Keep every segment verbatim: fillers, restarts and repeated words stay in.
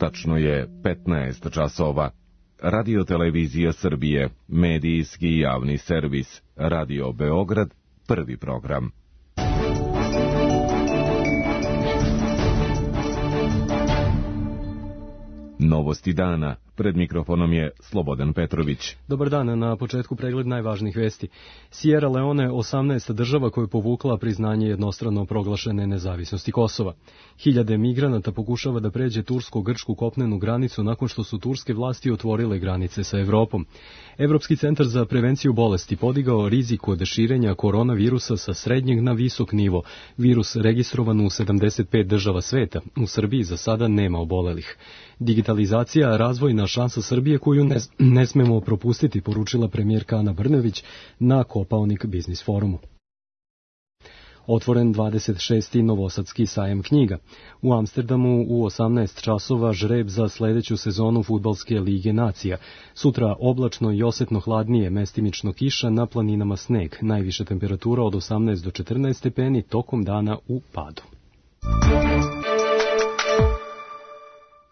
Tačno je petnaest časova. Radio Televizija Srbije, medijski javni servis, Radio Beograd, prvi program. Novosti dana. Pred mikrofonom je Slobodan Petrović. Dobar dan, na početku pregled najvažnijih vesti. Sierra Leone, osamnaesta država koja je povukla priznanje jednostrano proglašene nezavisnosti Kosova. Hiljade migranata pokušava da pređe tursko-grčku kopnenu granicu nakon što su turske vlasti otvorile granice sa Evropom. Evropski centar za prevenciju bolesti podigao rizik od širenja koronavirusa sa srednjeg na visok nivo. Virus registrovan u sedamdeset pet država sveta. U Srbiji za sada nema obolelih. Digitalizacija, razvojna šansa Srbije koju ne, ne smemo propustiti, poručila premijerka Ana Brnabić na Kopaonik biznis forumu. Otvoren dvadeset šesti Novosadski sajam knjiga. U Amsterdamu u osamnaest časova žreb za sledeću sezonu Fudbalske lige nacija. Sutra oblačno i osetno hladnije, mestimično kiša, na planinama sneg. Najviša temperatura od osamnaest do četrnaest stepeni, tokom dana u padu.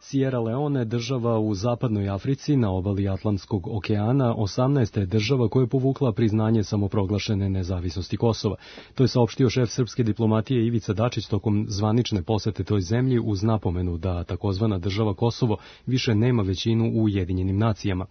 Sierra Leone, država u zapadnoj Africi na obali Atlantskog okeana, osamnaesta je država koja je povukla priznanje samoproglašene nezavisnosti Kosova. To je saopštio šef srpske diplomatije Ivica Dačić tokom zvanične posete toj zemlji uz napomenu da takozvana država Kosovo više nema većinu u Ujedinjenim nacijama.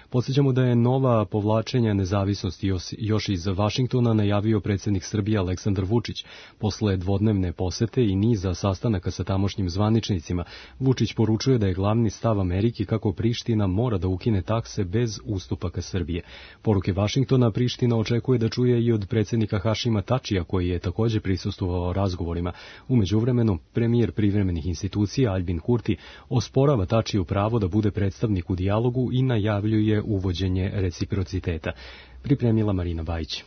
Podsjećamo da je nova povlačenja nezavisnosti još iz Vašingtona najavio predsjednik Srbije Aleksandar Vučić. Posle dvodnevne posete i niza sastanaka sa tamošnjim zvaničnicima, Vučić poručuje da je glavni stav Amerike kako Priština mora da ukine takse bez ustupaka Srbije. Poruke Vašingtona Priština očekuje da čuje i od predsjednika Hašima Tačija, koji je također prisustvovao razgovorima. U međuvremenu, premijer privremenih institucija Albin Kurti osporava Tačiju pravo da bude predstavnik u dijalogu i najavljuje uvođenje reciprociteta. Pripremila Marina Bajić.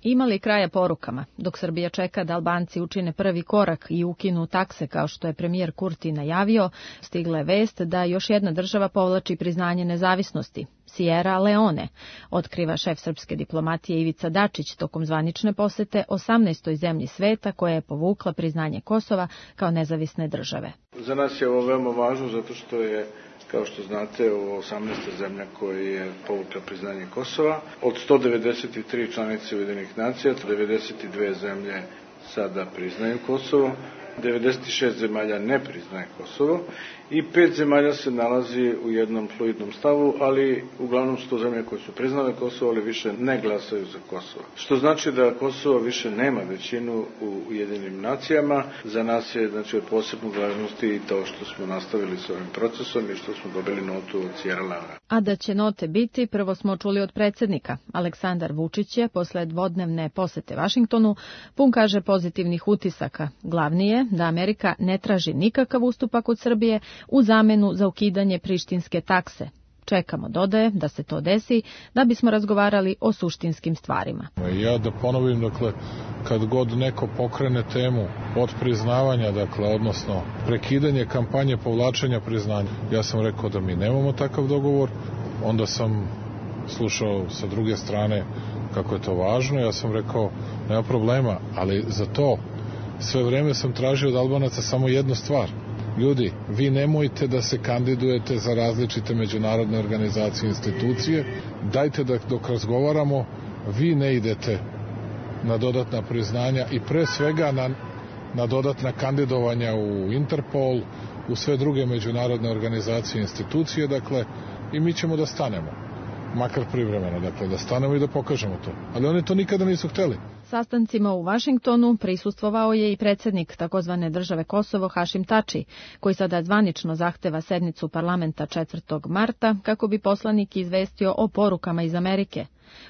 Ima li kraja porukama? Dok Srbija čeka da Albanci učine prvi korak i ukinu takse kao što je premijer Kurti najavio, stigla je vest da još jedna država povlači priznanje nezavisnosti. Sierra Leone, otkriva šef srpske diplomatije Ivica Dačić tokom zvanične posete osamnaestoj zemlji sveta koja je povukla priznanje Kosova kao nezavisne države. Za nas je ovo veoma važno zato što je, kao što znate, ovo osamnaesta zemlja koja je povukla priznanje Kosova. Od sto devedeset tri članice Ujedinjenih nacija, devedeset dve zemlje sada priznaju Kosovo, devedeset šest zemalja ne priznaje Kosovo i pet zemalja se nalazi u jednom fluidnom stavu, ali uglavnom su to zemlje koje su priznale Kosovo, ali više ne glasaju za Kosovo. Što znači da Kosovo više nema većinu u Ujedinjenim nacijama. Za nas je, znači, od posebne važnosti i to što smo nastavili s ovim procesom i što smo dobili notu od Sierra Leone. A da će note biti, prvo smo čuli od predsjednika. Aleksandar Vučić je posle dvodnevne posete Vašingtonu pun, kaže, pozitivnih utisaka. Glavni je da Amerika ne traži nikakav ustupak od Srbije u zamenu za ukidanje prištinske takse. Čekamo, dodaje, da se to desi, da bismo razgovarali o suštinskim stvarima. Ja da ponovim, dakle, kad god neko pokrene temu od priznavanja, dakle, odnosno prekidanje kampanje povlačenja priznanja, ja sam rekao da mi nemamo takav dogovor, onda sam slušao sa druge strane kako je to važno, ja sam rekao nema problema, ali za to sve vreme sam tražio od Albanaca samo jednu stvar. Ljudi, vi nemojte da se kandidujete za različite međunarodne organizacije i institucije. Dajte da dok razgovaramo, vi ne idete na dodatna priznanja i pre svega na, na dodatna kandidovanja u Interpol, u sve druge međunarodne organizacije i institucije, dakle, i mi ćemo da stanemo. Makar privremeno, dakle, da stanemo i da pokažemo to. Ali oni to nikada nisu hteli. Sastancima u Vašingtonu prisustvovao je i predsjednik takozvane države Kosovo Hašim Tači, koji sada zvanično zahteva sednicu parlamenta četvrtog marta kako bi poslanik izvestio o porukama iz Amerike.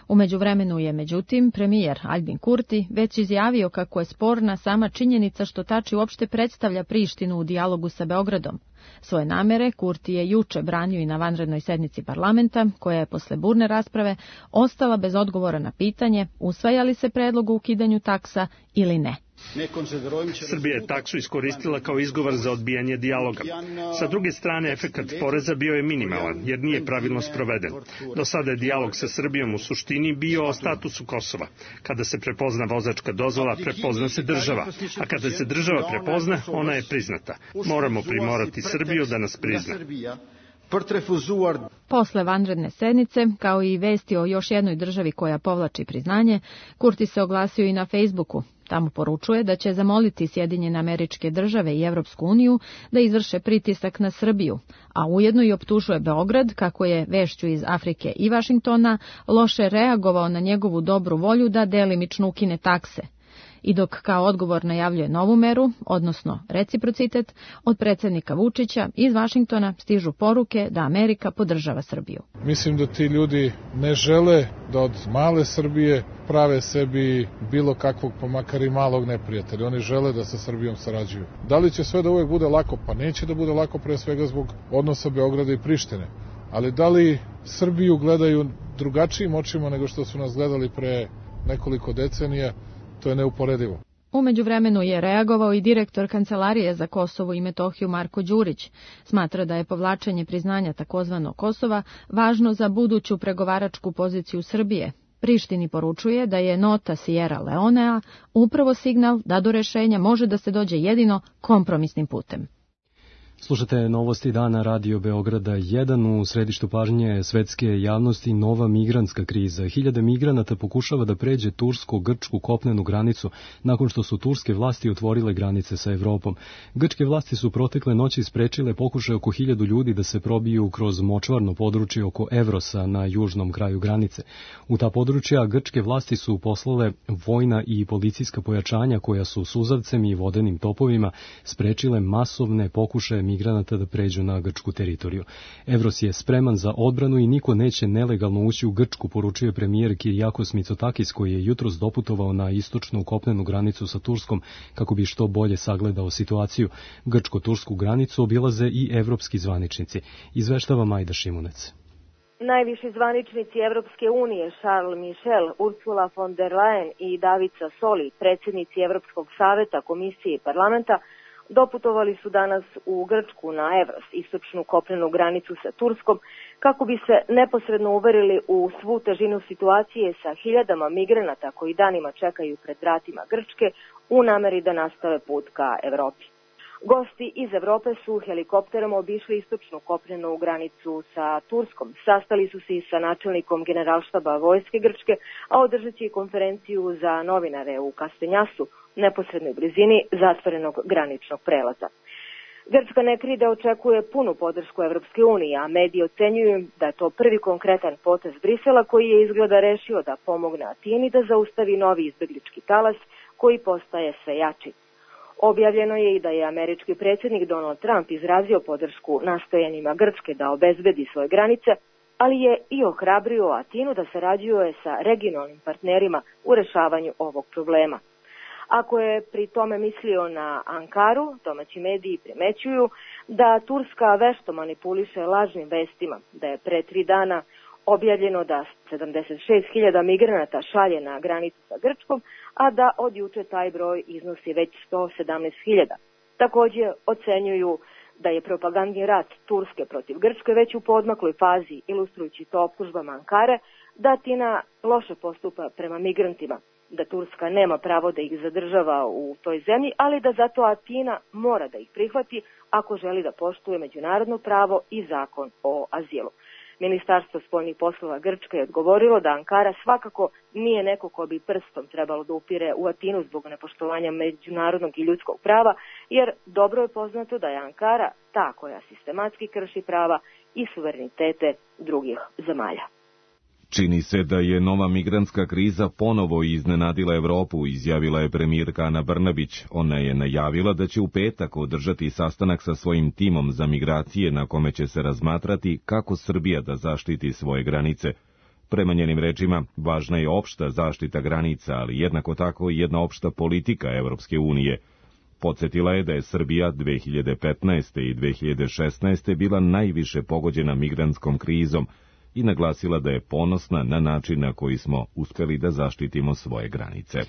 U međuvremenu je, međutim, premijer Albin Kurti već izjavio kako je sporna sama činjenica što Tači uopšte predstavlja Prištinu u dijalogu sa Beogradom. Svoje namere Kurti je juče branio i na vanrednoj sednici parlamenta, koja je posle burne rasprave ostala bez odgovora na pitanje usvaja li se predlog o ukidanju taksa ili ne. Srbija je taksu iskoristila kao izgovor za odbijanje dijaloga. Sa druge strane, efekat poreza bio je minimalan, jer nije pravilno sproveden. Do sada je dijalog sa Srbijom u suštini bio o statusu Kosova. Kada se prepozna vozačka dozvola, prepozna se država. A kada se država prepozna, ona je priznata. Moramo primorati Srbiju da nas prizna. Posle vanredne sednice, kao i vesti o još jednoj državi koja povlači priznanje, Kurti se oglasio i na Facebooku. Tamo poručuje da će zamoliti Sjedinjene Američke Države i Evropsku uniju da izvrše pritisak na Srbiju, a ujedno i optužuje Beograd, kako je vešću iz Afrike i Vašingtona loše reagovao na njegovu dobru volju da delimično ukine takse. I dok kao odgovor najavljuje novu meru, odnosno reciprocitet, od predsjednika Vučića iz Vašingtona stižu poruke da Amerika podržava Srbiju. Mislim da ti ljudi ne žele da od male Srbije prave sebi bilo kakvog, pa makar i malog neprijatelja. Oni žele da sa Srbijom sarađuju. Da li će sve da uvek bude lako? Pa neće da bude lako, pre svega zbog odnosa Beograda i Prištine. Ali da li Srbiju gledaju drugačijim očima nego što su nas gledali pre nekoliko decenija? To je neuporedivo. U međuvremenu je reagovao i direktor Kancelarije za Kosovo i Metohiju Marko Đurić. Smatra da je povlačenje priznanja takozvano Kosova važno za buduću pregovaračku poziciju Srbije. Prištini poručuje da je nota Sierra Leonea upravo signal da do rešenja može da se dođe jedino kompromisnim putem. Slušate novosti dana Radio Beograda jedan. U središtu pažnje svetske javnosti nova migrantska kriza. Hiljade migranata pokušava da pređe tursko-grčku kopnenu granicu nakon što su turske vlasti otvorile granice sa Evropom. Grčke vlasti su protekle noći sprečile pokušaj oko hiljadu ljudi da se probiju kroz močvarno područje oko Evrosa na južnom kraju granice. U ta područja grčke vlasti su poslale vojna i policijska pojačanja koja su suzavcem i vodenim topovima sprečile masovne pokušaje migranata da pređu na grčku teritoriju. Evros je spreman za odbranu i niko neće nelegalno ući u Grčku, poručio je premijer Kyriakos Mitsotakis, koji je jutros doputovao na istočnu kopnenu granicu sa Turskom kako bi što bolje sagledao situaciju. Grčko-tursku granicu obilaze i evropski zvaničnici. Izveštava Majda Šimunec. Najviši zvaničnici Evropske unije, Charles Michel, Ursula von der Leyen i David Sassoli, predsjednici Evropskog saveta, komisije i parlamenta, doputovali su danas u Grčku na Evros, istočnu kopnenu granicu sa Turskom, kako bi se neposredno uverili u svu težinu situacije sa hiljadama migranata koji danima čekaju pred vratima Grčke u nameri da nastave put ka Evropi. Gosti iz Evrope su helikopterom obišli istočnu kopnenu granicu sa Turskom. Sastali su se i sa načelnikom generalštaba vojske Grčke, a održat će i konferenciju za novinare u Kastenjasu, neposrednoj blizini zatvorenog graničnog prelaza. Grčka ne krije da očekuje punu podršku Evropske unije, a mediji ocenjuju da je to prvi konkretan potez Brisela koji je izgleda rešio da pomogne Atini da zaustavi novi izbeglički talas koji postaje sve jači. Objavljeno je i da je američki predsjednik Donald Trump izrazio podršku nastojanjima Grčke da obezbedi svoje granice, ali je i ohrabrio Atinu da sarađuje sa regionalnim partnerima u rešavanju ovog problema. Ako je pri tome mislio na Ankaru, domaći mediji primećuju da Turska vešto manipuliše lažnim vestima, da je pre tri dana objavljeno da sedamdeset šest hiljada migranata šalje na granicu sa Grčkom, a da od juče taj broj iznosi već sto sedamnaest hiljada. Također ocenjuju da je propagandni rat Turske protiv Grčke već u poodmakloj fazi, ilustrujući to optužbama Ankare, da Atina loše postupa prema migrantima, da Turska nema pravo da ih zadržava u toj zemlji, ali da zato Atina mora da ih prihvati ako želi da poštuje međunarodno pravo i zakon o azilu. Ministarstvo spoljnih poslova Grčke je odgovorilo da Ankara svakako nije neko ko bi prstom trebalo da upire u Atinu zbog nepoštovanja međunarodnog i ljudskog prava, jer dobro je poznato da je Ankara ta koja sistematski krši prava i suverenitete drugih zemalja. Čini se da je nova migrantska kriza ponovo iznenadila Evropu, izjavila je premijerka Ana Brnabić. Ona je najavila da će u petak održati sastanak sa svojim timom za migracije na kome će se razmatrati kako Srbija da zaštiti svoje granice. Prema njenim rečima, važna je opšta zaštita granica, ali jednako tako i jedna opšta politika Evropske unije. Podsjetila je da je Srbija dve hiljade petnaeste. i dve hiljade šesnaeste. bila najviše pogođena migrantskom krizom, i naglasila da je ponosna na način na koji smo uspjeli da zaštitimo svoje granice.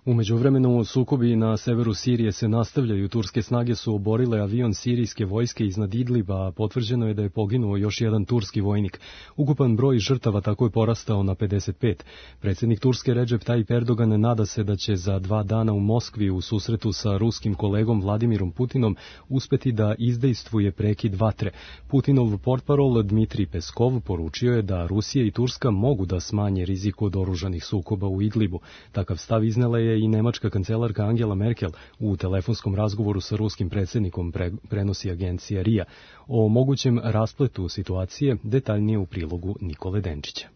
U međuvremenu sukobi na severu Sirije se nastavljaju. Turske snage su oborile avion sirijske vojske iznad Idliba, a potvrđeno je da je poginuo još jedan turski vojnik. Ukupan broj žrtava tako je porastao na pedeset pet. Predsjednik Turske Recep Tayyip Erdogan nada se da će za dva dana u Moskvi u susretu sa ruskim kolegom Vladimirom Putinom uspeti da izdejstvuje prekid vatre. Putinov portparol Dmitrij Peskov poručio je da Rusija i Turska mogu da smanje rizik od oružanih sukoba u Idlibu. Takav stav iznela je i nemačka kancelarka Angela Merkel u telefonskom razgovoru sa ruskim predsjednikom, pre, prenosi agencija R I A. O mogućem raspletu situacije detaljnije u prilogu Nikole Denčića.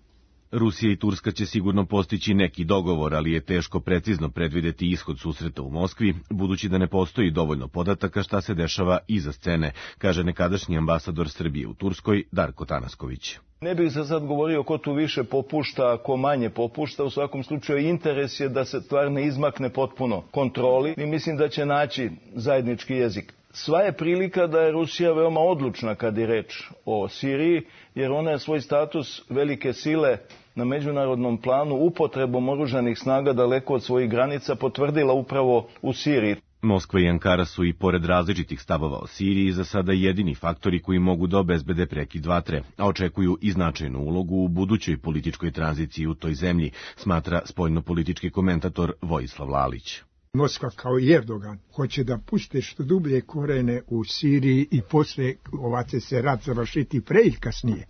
Rusija i Turska će sigurno postići neki dogovor, ali je teško precizno predvideti ishod susreta u Moskvi, budući da ne postoji dovoljno podataka šta se dešava iza scene, kaže nekadašnji ambasador Srbije u Turskoj Darko Tanasković. Ne bih se sad govorio ko tu više popušta, ko manje popušta. U svakom slučaju interes je da se stvar ne izmakne potpuno kontroli i mislim da će naći zajednički jezik. Sva je prilika da je Rusija veoma odlučna kad je reč o Siriji, jer ona je svoj status velike sile na međunarodnom planu upotrebom oružanih snaga daleko od svojih granica potvrdila upravo u Siriji. Moskva i Ankara su i pored različitih stavova o Siriji za sada jedini faktori koji mogu da obezbede prekid vatre, a očekuju i značajnu ulogu u budućoj političkoj tranziciji u toj zemlji, smatra spoljnopolitički komentator Vojislav Lalić. Moskva kao i Erdogan hoće da puste što dublje korene u Siriji i posle ova će se rat završiti pre ili kasnije.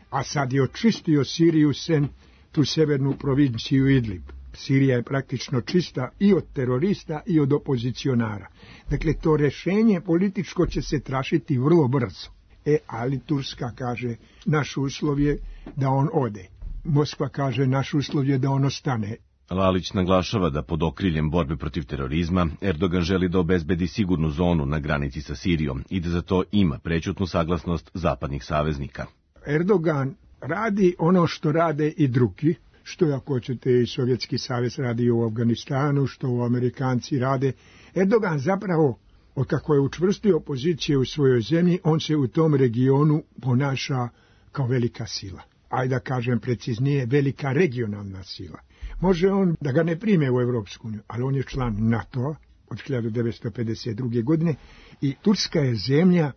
A sad je očistio Siriju sen tu severnu provinciju Idlib. Sirija je praktično čista i od terorista i od opozicionara. Dakle, to rešenje političko će se tražiti vrlo brzo. E, ali Turska kaže, naš uslov je da on ode. Moskva kaže, naš uslov je da on ostane. Lalić naglašava da pod okriljem borbe protiv terorizma Erdogan želi da obezbedi sigurnu zonu na granici sa Sirijom i da za to ima prećutnu saglasnost zapadnih saveznika. Erdogan radi ono što rade i drugi, što ako hoćete i Sovjetski savez radi u Afganistanu, što u Amerikanci rade. Erdogan zapravo, od kako je učvrstio pozicije u svojoj zemlji, on se u tom regionu ponaša kao velika sila. Ajde da kažem preciznije, velika regionalna sila. Može on da ga ne prime u Evropsku uniju, ali on je član NATO-a od hiljadu devetsto pedeset druge. godine i Turska je zemlja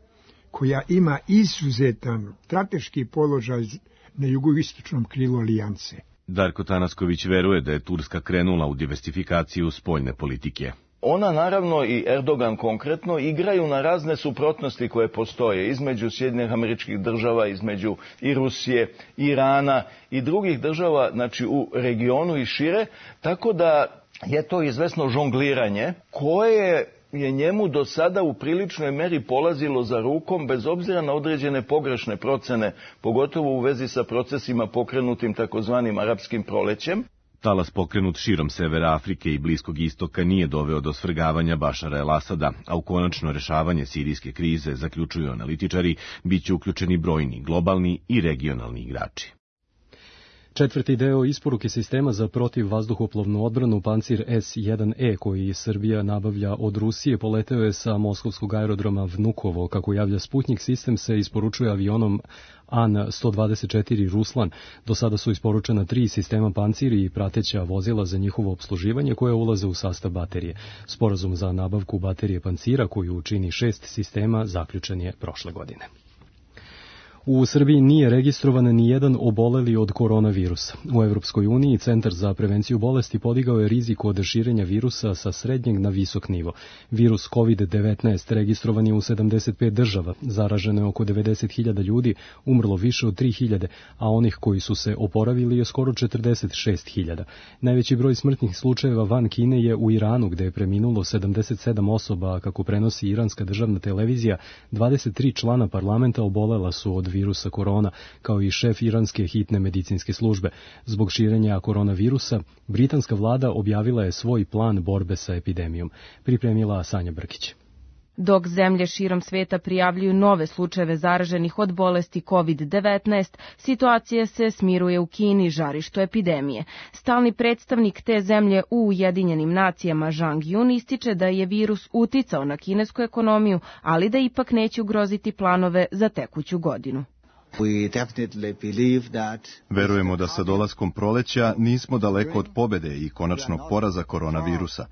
koja ima izuzetan strateški položaj na jugoistočnom krilu alijance. Darko Tanasković veruje da je Turska krenula u diversifikaciju spoljne politike. Ona naravno i Erdogan konkretno igraju na razne suprotnosti koje postoje između Sjedinjenih Američkih Država, između i Rusije, Irana i drugih država, znači u regionu i šire, tako da je to izvesno žongliranje koje je njemu do sada u priličnoj meri polazilo za rukom, bez obzira na određene pogrešne procene, pogotovo u vezi sa procesima pokrenutim takozvanim arapskim prolećem. Talas pokrenut širom severa Afrike i Bliskog istoka nije doveo do svrgavanja Bašara el-Asada, a u konačno rešavanje sirijske krize, zaključuju analitičari, bit će uključeni brojni globalni i regionalni igrači. Četvrti deo isporuke sistema za protivvazduhoplovnu odbranu Pancir S jedan E koji Srbija nabavlja od Rusije poleteo je sa moskovskog aerodroma Vnukovo. Kako javlja Sputnik, sistem se isporučuje avionom An sto dvadeset četiri Ruslan. Do sada su isporučena tri sistema Pancir i prateća vozila za njihovo opsluživanje koje ulaze u sastav baterije. Sporazum za nabavku baterije Pancira, koju čini šest sistema, zaključen je prošle godine. U Srbiji nije registrovan ni jedan oboleli od koronavirusa. U Evropskoj uniji Centar za prevenciju bolesti podigao je rizik od širenja virusa sa srednjeg na visok nivo. Virus kovid devetnaest registrovan je u sedamdeset pet država, zaraženo je oko devedeset hiljada ljudi, umrlo više od tri hiljade, a onih koji su se oporavili je skoro četrdeset šest hiljada. Najveći broj smrtnih slučajeva van Kine je u Iranu, gde je preminulo sedamdeset sedam osoba, kako prenosi iranska državna televizija. dvadeset tri člana parlamenta obolela su od virusa korona, kao i šef iranske hitne medicinske službe. Zbog širenja koronavirusa, britanska vlada objavila je svoj plan borbe sa epidemijom. Pripremila Sanja Brkić. Dok zemlje širom sveta prijavljuju nove slučajeve zaraženih od bolesti kovid devetnaest, situacija se smiruje u Kini, žarištu epidemije. Stalni predstavnik te zemlje u Ujedinjenim nacijama Zhang Yun ističe da je virus uticao na kinesku ekonomiju, ali da ipak neće ugroziti planove za tekuću godinu. Verujemo da sa dolaskom proleća nismo daleko od pobede i konačnog poraza koronavirusa.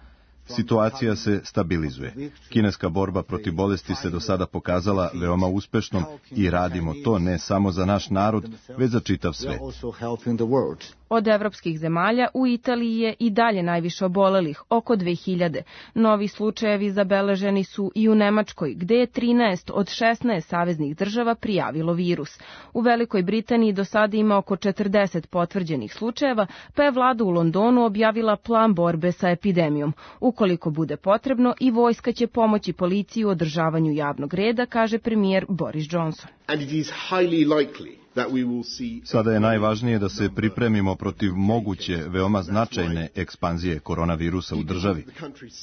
Situacija se stabilizuje. Kineska borba protiv bolesti se do sada pokazala veoma uspešnom i radimo to ne samo za naš narod, već za čitav svet. Od evropskih zemalja u Italiji je i dalje najviše obolelih, oko dve hiljade. Novi slučajevi zabeleženi su i u Nemačkoj, gde je trinaest od šesnaest saveznih država prijavilo virus. U Velikoj Britaniji do sada ima oko četrdeset potvrđenih slučajeva, pa je vlada u Londonu objavila plan borbe sa epidemijom. Ukoliko bude potrebno, i vojska će pomoći policiji u održavanju javnog reda, kaže premijer Boris Johnson. Sada je najvažnije da se pripremimo protiv moguće, veoma značajne ekspanzije koronavirusa u državi.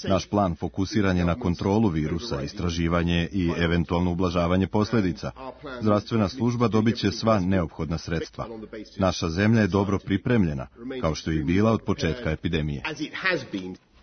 Naš plan fokusiran je na kontrolu virusa, istraživanje i eventualno ublažavanje posljedica. Zdravstvena služba dobit će sva neophodna sredstva. Naša zemlja je dobro pripremljena, kao što je i bila od početka epidemije.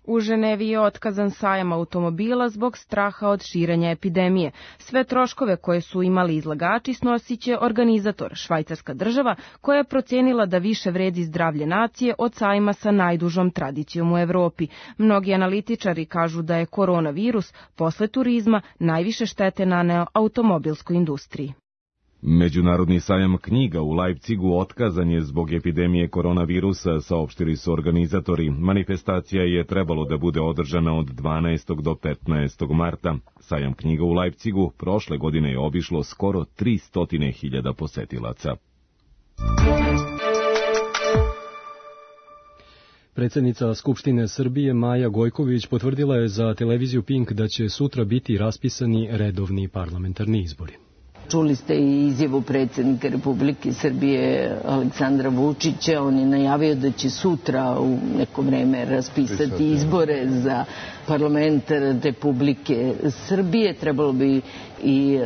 U Ženevi je otkazan sajam automobila zbog straha od širenja epidemije. Sve troškove koje su imali izlagači snosit će organizator, švajcarska država, koja je procenila da više vredi zdravlje nacije od sajma sa najdužom tradicijom u Evropi. Mnogi analitičari kažu da je koronavirus posle turizma najviše štete naneo automobilskoj industriji. Međunarodni sajam knjiga u Leipzigu otkazan je zbog epidemije koronavirusa, saopštili su organizatori. Manifestacija je trebalo da bude održana od dvanaestog do petnaestog marta. Sajam knjiga u Leipzigu prošle godine je obišlo skoro tristo hiljada posetilaca. Predsjednica Skupštine Srbije Maja Gojković potvrdila je za televiziju Pink da će sutra biti raspisani redovni parlamentarni izbori. Čuli ste i izjavu predsjednika Republike Srbije Aleksandra Vučića. On je najavio da će sutra u neko vreme raspisati izbore za parlament Republike Srbije. Trebalo bi i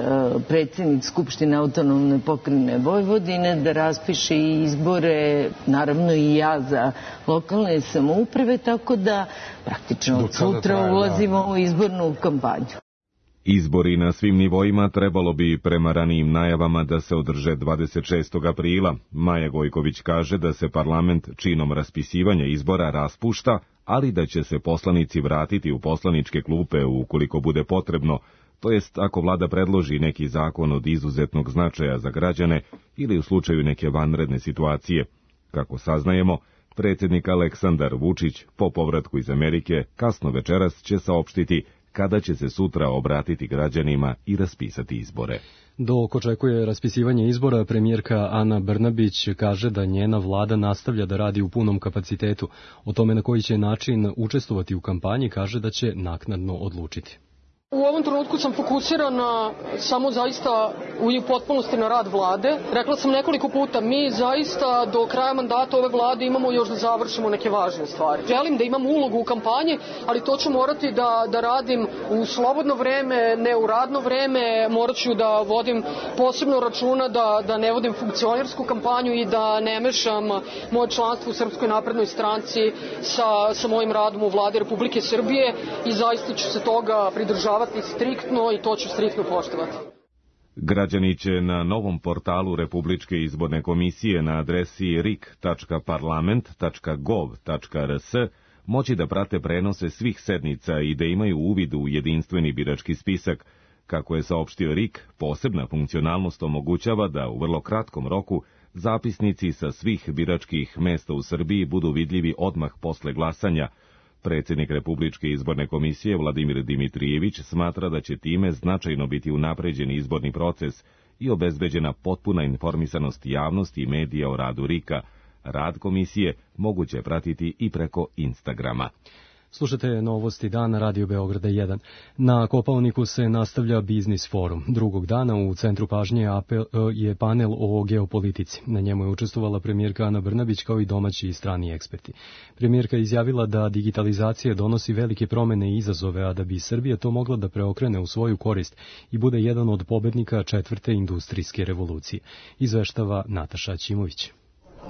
predsjednik Skupštine autonomne pokrajine Vojvodine da raspiše izbore, naravno i ja za lokalne samouprave, tako da praktično od sutra ulazimo u izbornu kampanju. Izbori na svim nivoima trebalo bi prema ranijim najavama da se održe dvadeset šestog aprila. Maja Gojković kaže da se parlament činom raspisivanja izbora raspušta, ali da će se poslanici vratiti u poslaničke klupe ukoliko bude potrebno, to jest ako vlada predloži neki zakon od izuzetnog značaja za građane ili u slučaju neke vanredne situacije. Kako saznajemo, predsjednik Aleksandar Vučić po povratku iz Amerike kasno večeras će saopštiti kada će se sutra obratiti građanima i raspisati izbore. Dok očekuje raspisivanje izbora, premijerka Ana Brnabić kaže da njena vlada nastavlja da radi u punom kapacitetu. O tome na koji će način učestvovati u kampanji kaže da će naknadno odlučiti. U ovom trenutku sam fokusirana samo zaista u potpunosti na rad vlade. Rekla sam nekoliko puta, mi zaista do kraja mandata ove vlade imamo još da završimo neke važne stvari. Želim da imam ulogu u kampanji, ali to ću morati da, da radim u slobodno vreme, ne u radno vreme. Morat ću da vodim posebno računa da, da ne vodim funkcionersku kampanju i da ne mešam moje članstvo u Srpskoj naprednoj stranci sa, sa mojim radom u vladi Republike Srbije i zaista ću se toga pridržavati striktno i to ću striktno poštovati. Građani će na novom portalu Republičke izborne komisije na adresi r i k tačka parlament tačka gov tačka r s moći da prate prenose svih sednica i da imaju uvid u jedinstveni birački spisak. Kako je saopštio R I K, posebna funkcionalnost omogućava da u vrlo kratkom roku zapisnici sa svih biračkih mesta u Srbiji budu vidljivi odmah posle glasanja. Predsjednik Republičke izborne komisije Vladimir Dimitrijević smatra da će time značajno biti unapređen izborni proces i obezbeđena potpuna informisanost javnosti i medija o radu R I K-a. Rad komisije moguće pratiti i preko Instagrama. Slušate novosti dana Radio Beograda jedan. Na Kopaoniku se nastavlja biznis forum. Drugog dana u centru pažnje je panel o geopolitici. Na njemu je učestvovala premijerka Ana Brnabić kao i domaći i strani eksperti. Premijerka je izjavila da digitalizacija donosi velike promene i izazove, a da bi Srbija to mogla da preokrene u svoju korist i bude jedan od pobednika četvrte industrijske revolucije. Izveštava Nataša Ćimović.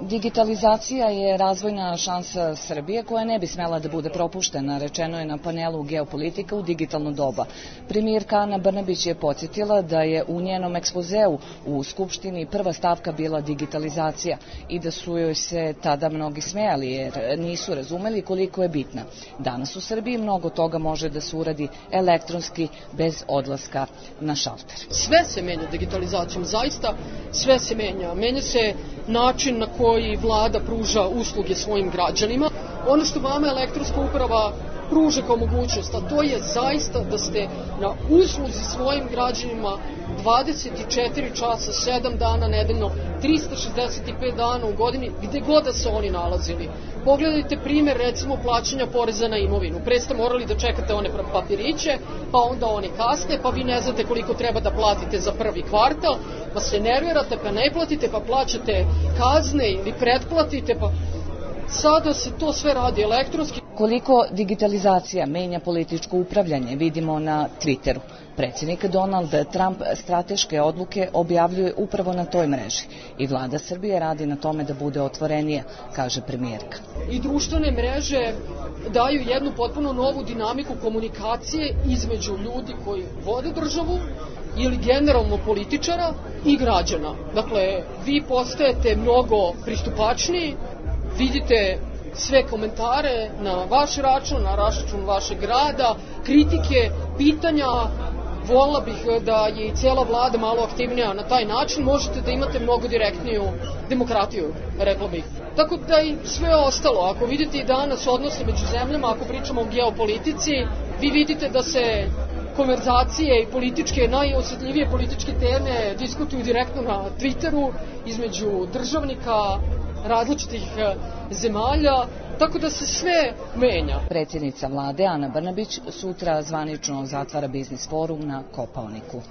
Digitalizacija je razvojna šansa Srbije koja ne bi smela da bude propuštena, rečeno je na panelu Geopolitika u digitalno doba. Premijerka Ana Brnabić je podsjetila da je u njenom ekspozeu u Skupštini prva stavka bila digitalizacija i da su joj se tada mnogi smejali jer nisu razumeli koliko je bitna. Danas u Srbiji mnogo toga može da se uradi elektronski bez odlaska na šalter. Sve se menja digitalizacijom, zaista sve se menja. Menja se način na koji vlada pruža usluge svojim građanima. Ono što vama elektronska uprava pruža kao mogućnost, a to je zaista da ste na usluzi svojim građanima dvadeset četiri časa, sedam dana nedeljno, trista šezdeset pet dana u godini, gde god da se oni nalazili. Pogledajte primer, recimo, plaćanja poreza na imovinu. Pre ste morali da čekate one papiriće, pa onda one kasne, pa vi ne znate koliko treba da platite za prvi kvartal, pa se nervirate, pa ne platite, pa plaćate kazne ili pretplatite, pa sada se to sve radi elektronski. Koliko digitalizacija menja političko upravljanje vidimo na Twitteru. Predsjednik Donald Trump strateške odluke objavljuje upravo na toj mreži i vlada Srbije radi na tome da bude otvorenija, kaže premijerka. I društvene mreže daju jednu potpuno novu dinamiku komunikacije između ljudi koji vode državu ili generalno političara i građana. Dakle, vi postajete mnogo pristupačniji, vidite sve komentare na vaš račun, na račun vašeg grada, kritike, pitanja. Volila bih da je i cela vlada malo aktivnija na taj način, možete da imate mnogo direktniju demokratiju, rekla bih. Tako da i sve ostalo, ako vidite i danas odnose među zemljama, ako pričamo o geopolitici, vi vidite da se konverzacije i političke, najosjetljivije političke teme diskutuju direktno na Twitteru između državnika različitih zemalja, tako da se sve menja. Predsjednica vlade Ana Brnabić sutra zvanično zatvara biznis forum na Kopaoniku.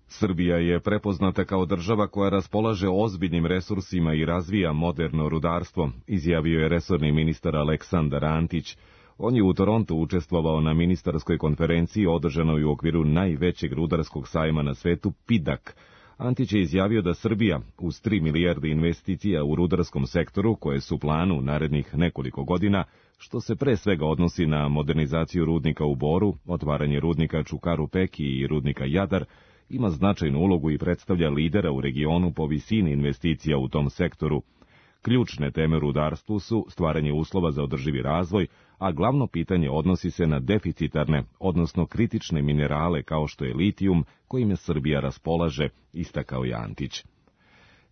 Srbija je prepoznata kao država koja raspolaže ozbiljnim resursima i razvija moderno rudarstvo, izjavio je resorni ministar Aleksandar Antić. On je u Torontu učestvovao na ministarskoj konferenciji održanoj u okviru najvećeg rudarskog sajma na svetu P I D A C. Antić je izjavio da Srbija, uz tri milijarde investicija u rudarskom sektoru, koje su u planu narednih nekoliko godina, što se pre svega odnosi na modernizaciju rudnika u Boru, otvaranje rudnika Čukaru Peki i rudnika Jadar, ima značajnu ulogu i predstavlja lidera u regionu po visini investicija u tom sektoru. Ključne teme u rudarstvu su stvaranje uslova za održivi razvoj, a glavno pitanje odnosi se na deficitarne, odnosno kritične minerale kao što je litijum, kojim je Srbija raspolaže, istakao je Antić.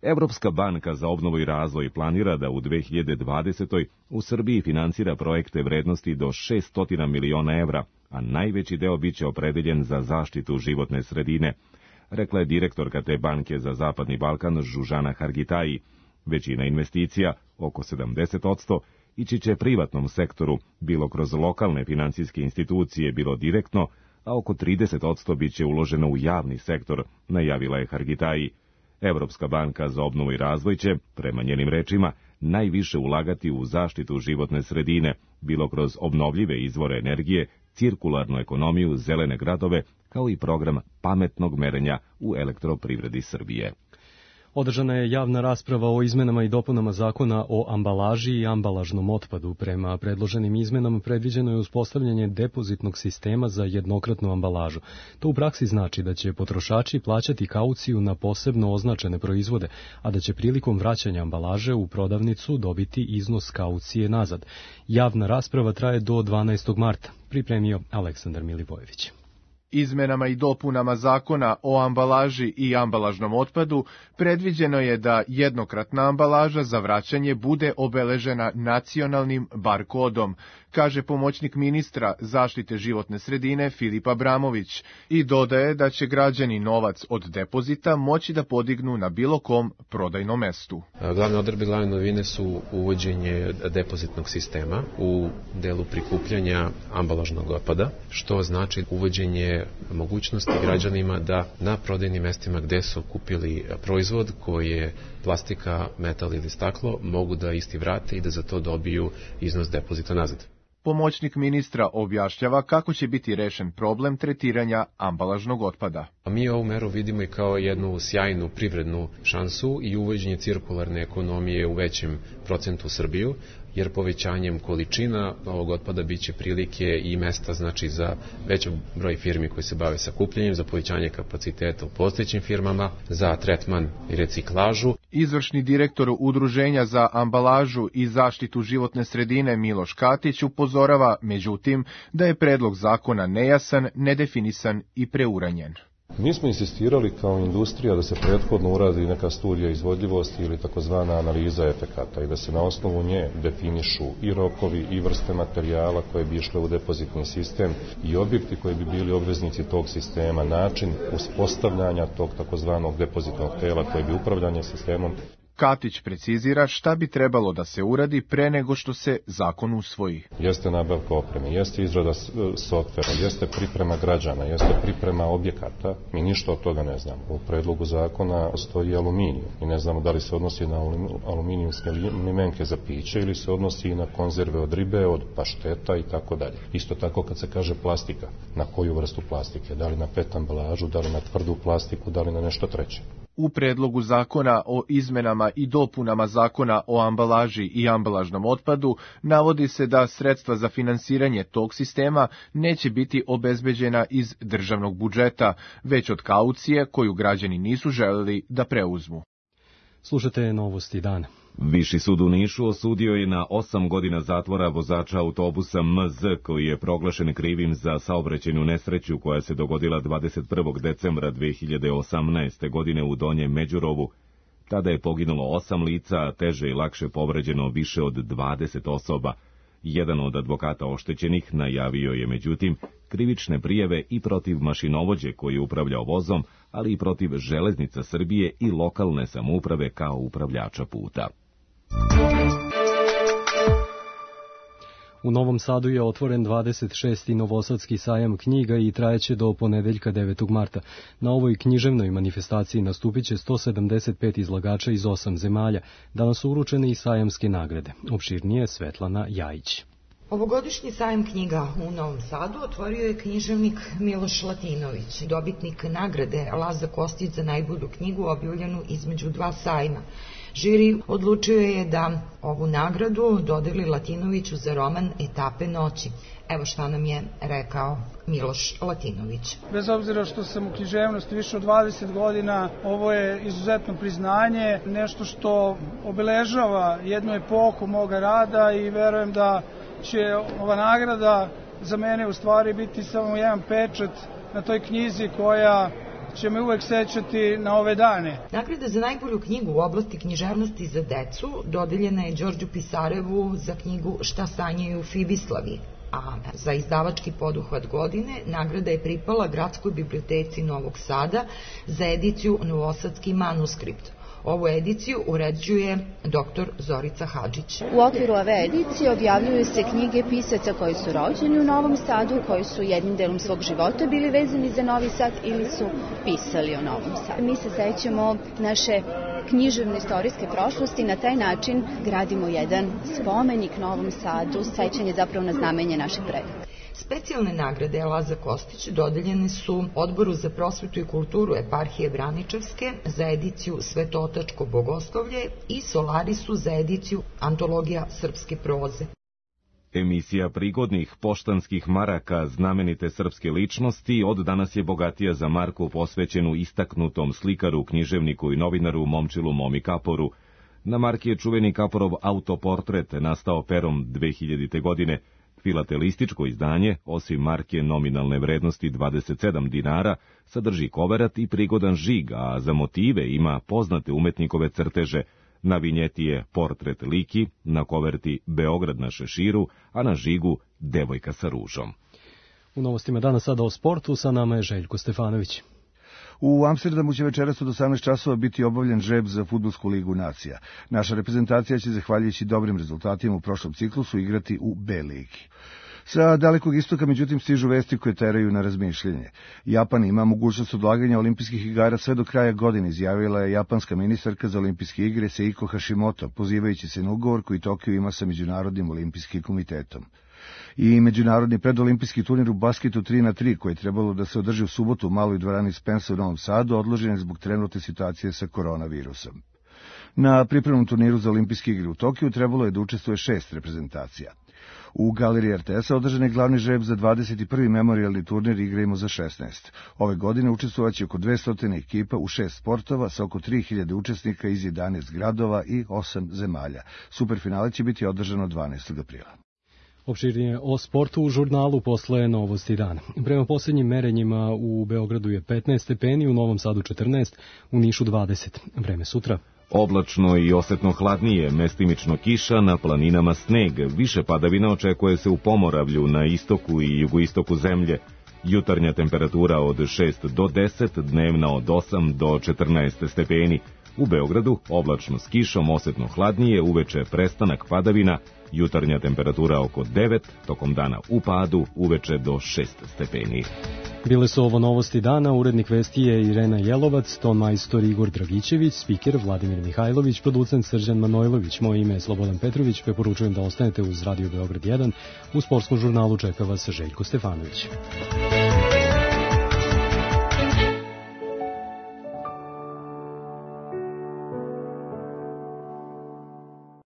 Evropska banka za obnovu i razvoj planira da u dve hiljade dvadesetoj. u Srbiji finansira projekte vrednosti do šesto miliona evra, a najveći deo biće opredeljen za zaštitu životne sredine, rekla je direktorka te banke za Zapadni Balkan Žužana Hargitaji. Većina investicija, oko sedamdeset posto, ići će privatnom sektoru, bilo kroz lokalne financijske institucije, bilo direktno, a oko trideset posto biće uloženo u javni sektor, najavila je Hargitaji. Evropska banka za obnovu i razvoj će, prema njenim rečima, najviše ulagati u zaštitu životne sredine, bilo kroz obnovljive izvore energije, cirkularnu ekonomiju, zelene gradove, kao i program pametnog merenja u elektroprivredi Srbije. Održana je javna rasprava o izmenama i dopunama zakona o ambalaži i ambalažnom otpadu. Prema predloženim izmenama predviđeno je uspostavljanje depozitnog sistema za jednokratnu ambalažu. To u praksi znači da će potrošači plaćati kauciju na posebno označene proizvode, a da će prilikom vraćanja ambalaže u prodavnicu dobiti iznos kaucije nazad. Javna rasprava traje do dvanaestog marta, pripremio Aleksandar Milivojević. Izmenama i dopunama zakona o ambalaži i ambalažnom otpadu predviđeno je da jednokratna ambalaža za vraćanje bude obeležena nacionalnim bar kodom, kaže pomoćnik ministra zaštite životne sredine Filip Abramović i dodaje da će građani novac od depozita moći da podignu na bilo kom prodajnom mestu. Glavne odredbe, glavne novine su uvođenje depozitnog sistema u delu prikupljanja ambalažnog otpada, što znači uvođenje mogućnosti građanima da na prodajnim mestima gde su kupili proizvod koji je plastika, metal ili staklo, mogu da isti vrate i da za to dobiju iznos depozita nazad. pomoćnik ministra objašnjava kako će biti rešen problem tretiranja ambalažnog otpada. Mi ovu meru vidimo i kao jednu sjajnu privrednu šansu i uvođenje cirkularne ekonomije u većem procentu u Srbiju, jer povećanjem količina ovog otpada biće prilike i mesta znači za veći broj firmi koji se bave sakupljanjem, za povećanje kapaciteta u postojećim firmama, za tretman i reciklažu. Izvršni direktor Udruženja za ambalažu i zaštitu životne sredine Miloš Katić upozorava, međutim, da je predlog zakona nejasan, nedefinisan i preuranjen. Mi smo insistirali kao industrija da se prethodno uradi neka studija izvodljivosti ili takozvana analiza efekata i da se na osnovu nje definišu i rokovi i vrste materijala koje bi išle u depozitni sistem i objekti koji bi bili obveznici tog sistema, način uspostavljanja tog takozvanog depozitnog tela koje bi upravljanje sistemom. Katić precizira šta bi trebalo da se uradi pre nego što se zakon usvoji. Jeste nabavka opreme, jeste izrada softvera, jeste priprema građana, jeste priprema objekata. Mi ništa od toga ne znamo. U predlogu zakona stoji aluminijum i ne znamo da li se odnosi na aluminijumske limenke za piće ili se odnosi na konzerve od ribe, od pašteta i tako dalje. Isto tako kad se kaže plastika, na koju vrstu plastike, da li na pet ambalažu, da li na tvrdu plastiku, da li na nešto treće. U predlogu zakona o izmenama i dopunama zakona o ambalaži i ambalažnom otpadu navodi se da sredstva za finansiranje tog sistema neće biti obezbeđena iz državnog budžeta, već od kaucije koju građani nisu želeli da preuzmu. Slušate Novosti dana. Viši sud u Nišu osudio je na osam godina zatvora vozača autobusa M Z koji je proglašen krivim za saobraćajnu nesreću koja se dogodila dvadeset prvog decembra dve hiljade osamnaeste. godine u Donjem Međurovu. Tada je poginulo osam lica, a teže i lakše povređeno više od dvadeset osoba. Jedan od advokata oštećenih najavio je međutim krivične prijave i protiv mašinovođe koji je upravljao vozom, ali i protiv Železnica Srbije i lokalne samouprave kao upravljača puta. U Novom Sadu je otvoren dvadeset šesti Novosadski sajam knjiga i trajeće do ponedeljka devetog marta. Na ovoj književnoj manifestaciji nastupit će sto sedamdeset pet izlagača iz osam zemalja. Danas su uručene i sajamske nagrade. Opširnije Svetlana Jajić. Ovogodišnji sajam knjiga u Novom Sadu otvorio je književnik Miloš Latinović, dobitnik nagrade Laza Kostić za najbolju knjigu objavljenu između dva sajma. Žiri odlučio je da ovu nagradu dodeli Latinoviću za roman Etape noći. Evo šta nam je rekao Miloš Latinović. Bez obzira što sam u književnosti više od dvadeset godina, ovo je izuzetno priznanje, nešto što obeležava jednu epohu moga rada i verujem da će ova nagrada za mene u stvari biti samo jedan pečat na toj knjizi koja će me uvek sećati na ove dane. Nagrada za najbolju knjigu u oblasti književnosti za decu dodeljena je Đorđu Pisarevu za knjigu Šta sanjaju Fibislavi, a za izdavački poduhvat godine nagrada je pripala Gradskoj biblioteci Novog Sada za ediciju Novosadski manuskript. Ovu ediciju uređuje doktor Zorica Hadžić. U okviru ove edicije objavljuju se knjige pisaca koji su rođeni u Novom Sadu, koji su jednim delom svog života bili vezani za Novi Sad ili su pisali o Novom Sadu. Mi se sećamo naše književne istorijske prošlosti, na taj način gradimo jedan spomenik Novom Sadu, sećanje zapravo na znamenje naših predaka. Specijalne nagrade Laza Kostić dodeljene su Odboru za prosvetu i kulturu eparhije Braničevske za ediciju Svetotačko bogoslovlje i Solarisu za ediciju Antologija srpske proze. Emisija prigodnih poštanskih maraka znamenite srpske ličnosti od danas je bogatija za marku posvećenu istaknutom slikaru, književniku i novinaru Momčilu Momi Kaporu. Na marki je čuveni Kaporov autoportret nastao perom dve hiljadite. godine. Filatelističko izdanje, osim marke nominalne vrednosti dvadeset sedam dinara, sadrži koverat i prigodan žig, a za motive ima poznate umetnikove crteže. Na vinjeti je portret Liki, na koverti Beograd na šeširu, a na žigu devojka sa ružom. U novostima danas sada o sportu, sa nama je Željko Stefanović. U Amsterdamu će večeras od osamnaest časova biti obavljen žreb za Fudbalsku ligu nacija. Naša reprezentacija će, zahvaljujući dobrim rezultatima u prošlom ciklusu, igrati u B ligi. Sa Dalekog istoka, međutim, stižu vesti koje teraju na razmišljanje. Japan ima mogućnost odlaganja olimpijskih igara sve do kraja godine, izjavila je japanska ministarka za olimpijske igre Seiko Hashimoto, pozivajući se na ugovor koji Tokio ima sa Međunarodnim olimpijskim komitetom. I međunarodni predolimpijski turnir u basketu tri na tri, koji je trebalo da se održi u subotu u maloj dvorani Spensa u Novom Sadu, odložen je zbog trenutne situacije sa koronavirusom. Na pripremnom turniru za olimpijske igre u Tokiju trebalo je da učestvuje šest reprezentacija. U galeriji R T S-a održan je glavni žreb za dvadeset prvi memorijalni turnir Igrajmo za šesnaest. Ove godine učestvovaće oko dvesta ekipa u šest sportova sa oko tri hiljade učesnika iz jedanaest gradova i osam zemalja. Superfinale će biti održano dvanaestog aprila. Opširnije o sportu u žurnalu posle Novosti dana. Prema posljednjim merenjima u Beogradu je petnaest stepeni, u Novom Sadu četrnaest, u Nišu dvadeset. Vreme sutra. Oblačno i osetno hladnije, mestimično kiša, na planinama sneg. Više padavina očekuje se u Pomoravlju, na istoku i jugoistoku zemlje. Jutarnja temperatura od šest do deset, dnevna od osam do četrnaest stepeni. U Beogradu oblačno s kišom, osetno hladnije, uveče prestanak padavina, jutarnja temperatura oko devet, tokom dana u padu, uveče do šest stepeni. Bile su ovo Novosti dana, urednik vesti je Irena Jelovac, ton majstor Igor Dragićević, spiker Vladimir Mihajlović, producent Srđan Manojlović, moje ime je Slobodan Petrović, preporučujem da ostanete uz Radio Beograd jedan, u sportskom žurnalu čeka vas Željko Stefanović.